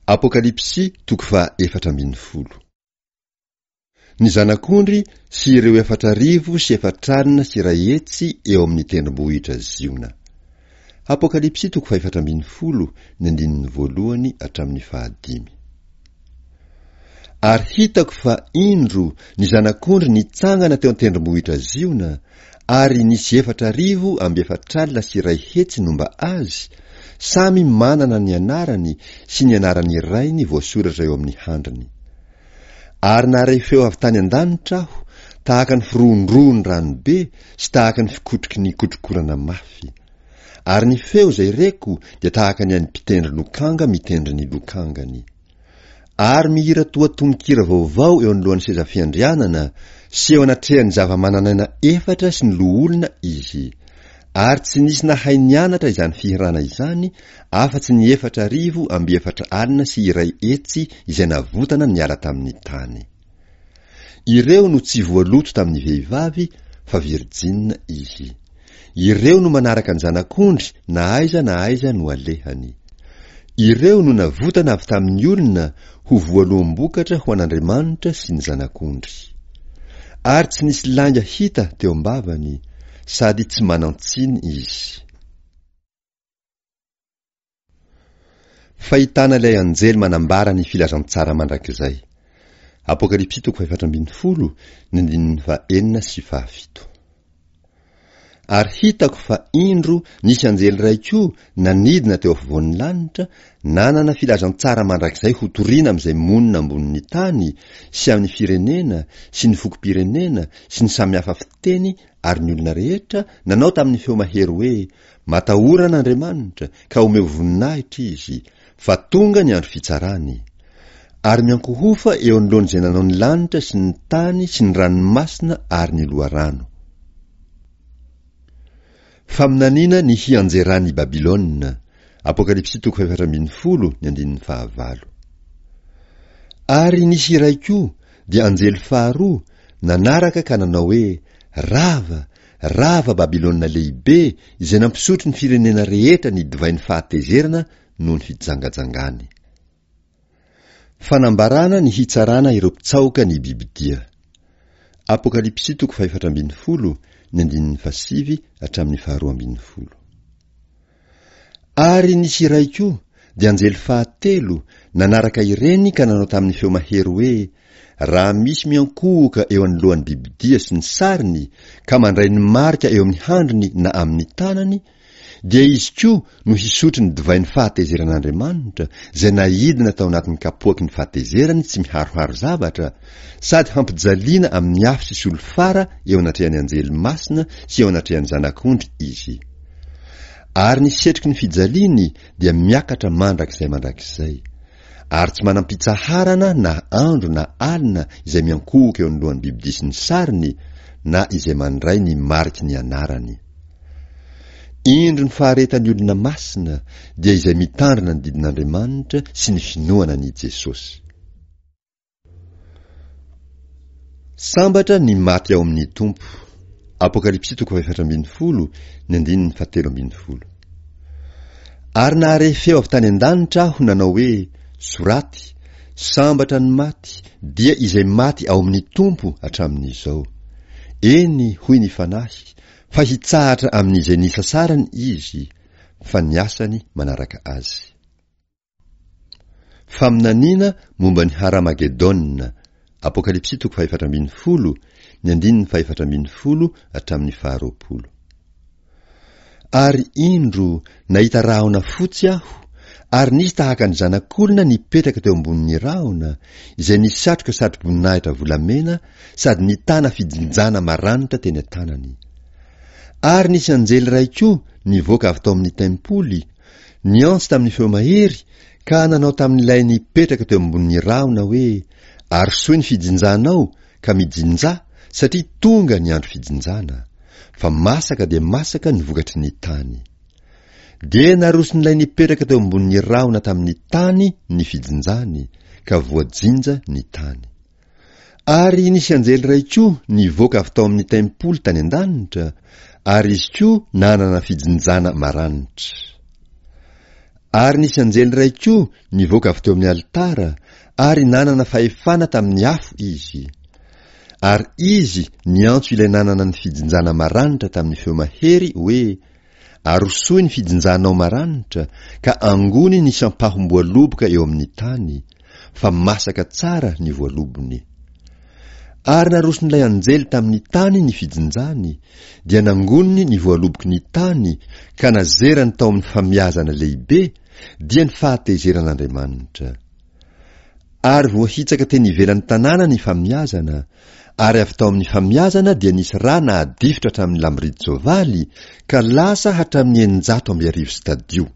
Apokalypsy toko faha 14. Ny Zanak'ondry sy ireo 1440 eo amin'ny tendrombohitra Ziona. Apokalypsy toko faha 14, ny andininy voalohany hatramin'ny fahadimy. Ary hitako fa, indro, ny Zanak'ondry nitsangana teo an-tendrombohitra Ziona, ary nisy 144 000 nomba azy, samy manana ny anarany sy ny anaran'ny Rainy voasoratra eo amin'ny handriny. Ary nahare feo avy tany an-danitra aho, tahaka ny firohondrohon'ny rano be sy tahaka ny fikotroky ny kotrokorana mafy. Ary ny feo izay reko dia tahaka ny an'ny mpitendry lokanga mitendry ny lokangany. Ary mihira toa tononkira vaovao eo anoloan'ny seza fiandrianana sy eo anatrehan'ny zava-manan'aina efatra sy ny loholona izy. Ary tsy nisy nahay nianatra izany fihirana izany afa-tsy ny 144 000 izay navotana niala tamin'ny tany. Ireo no tsy voaloto tamin'ny vehivavy fa virjina izy. Ireo no manaraka ny Zanak'ondry na aiza na aiza no alehany. Ireo no navotana avy tamin'ny olona ho voaloham-bokatra ho an'Andriamanitra sy ny Zanak'ondry. Ary tsy nisy lainga hita teo am-bavany, sady tsy manan-tsiny izy. Fahitana ilay anjely manambara ny filazantsara mandrakizay. Apokalypsy toko fahefatra ambin'ny folo, ny andininy fahenina sy fahafito. Ary hitako fa indro nisy anjely iray koa nanidina teo afovoan'ny lanitra, nanana filazantsara mandrakizay hotorina amin'izay monina ambonin'ny tany, sy amin'ny firenena, sy ny fokom-pirenena, sy ny samihafa fiteny ary ny olona rehetra, nanao tamin'ny feo mahery hoe, Matahora an'Andriamanitra, ka omeo voninahitra Izy, fa tonga ny andro fitsarany. Ary miankohofa eo anoloan'izay nanao ny lanitra sy ny tany sy ny ranomasina ary ny loharano. Faminaniana ny hianjeran'i Babylona, Apokalypsy toko fahefatra ambin'ny folo, ny andininy fahavalo. Ary nisy iray koa, dia anjely faharoa, nanaraka ka nanao hoe, Rava, Rava Babylona Lehibe izay nampisotro ny firenena rehetra ny divain'ny fahatezerana noho ny fijangajangany. Fanambarana ny hitsarana ireo mpitsaoka ny bibidia. Apokalypsy toko fahefatra ambin'ny folo, ny andininy fahasivy hatramin'ny faharoa ambin'ny folo. Ary nisy iray koa, dia anjely fahatelo, nanaraka ireny ka nanao tamin'ny feo mahery hoe, Raha misy miankohoka eo anoloan'ny bibidia sy ny sariny, ka mandray ny marika eo amin'ny handriny na amin'ny tanany, dia izy koa no hisotro ny divain'ny fahatezeran'Andriamanitra, izay naidina tao anatin'ny kapoaky ny fahatezerany tsy miharoharo zavatra, sady hampijaliana amin'ny afo sy solifara eo anatrehan'ny anjely masina sy eo anatrehan'ny Zanak'ondry izy. Ary ny setroky ny fijaliany dia miakatra mandrakizay mandrakizay. Ary tsy manam-pitsaharana na andro na alina izay miankohoka eo anoloan'ny bibidia sy ny sariny, na izay mandray ny mariky ny anarany. Indro ny faharetan'ny olona masina, dia izay mitandrina ny didin'Andriamanitra sy ny finoana an'i Jesosy. Sambatra ny maty ao amin'ny Tompo. Apokalypsy toko fahefatra ambin'ny folo, ny andininy fahatelo ambin'ny folo. Ary nahare feo avy tany an-danitra aho nanao hoe, Soraty, sambatra ny maty, dia izay maty ao amin'ny Tompo hatramin'izao. Eny, hoy ny Fanahy, fa hitsahatra amin'izay nisasarany izy, fa ny asany manaraka azy. Faminaniana momba ny Haramagedona, Apokalypsy toko fahefatra ambin'ny folo, ny andininy fahefatra ambin'ny folo hatramin'ny faharoapolo. Ary indro, nahita rahona fotsy aho, ary nisy tahaka ny zanak'olona nipetraka teo ambonin'ny rahona, izay nisatroka satroboninahitra volamena sady nitana fijinjana maranitra teny an-tanany. Ary nisy anjely iray koa nivoaka avy tao amin'ny tempoly, Niantso tamin'ny feo mahery ka nanao tamin'ilay nipetraka teo ambonin'ny rahona hoe, Arosoy ny fijinjanao ka mijinjà, satria tonga ny andro fijinjana, fa masaka dia masaka ny vokatry ny tany. Dia naroson'ilay nipetraka teo ambonin'ny rahona tamin'ny tany ny fijinjany, ka voajinja ny tany. Ary nisy anjely iray koa nivoaka avy tao amin'ny tempoly tany an-danitra, ary izy koa nanana fijinjana maranitra. Ary nisy anjely iray koa nivoaka avy teo amin'ny alitara, ary nanana fahefana tamin'ny afo izy. Ary izy niantso ilay nanana ny fijinjana maranitra tamin'ny feo mahery hoe, Arosoy ny fijinjanao maranitra, ka angony ny sampahom-boaloboka eo amin'ny tany, fa masaka tsara ny voalobony. Ary naroson'ilay anjely tamin'ny tany ny fijinjany, dia nangoniny ny voaloboky ny tany ka nazerany tao amin'ny famiazana lehibe, dia ny fahatezeran'Andriamanitra. Ary voahitsaka teny ivelan'ny tanàna ny famiazana, ary avy tao amin'ny famiazana dia nisy rà nahadifotra hatramin'ny lamboridy-tsoavaly ka lasa hatramin'ny 1600 stadio.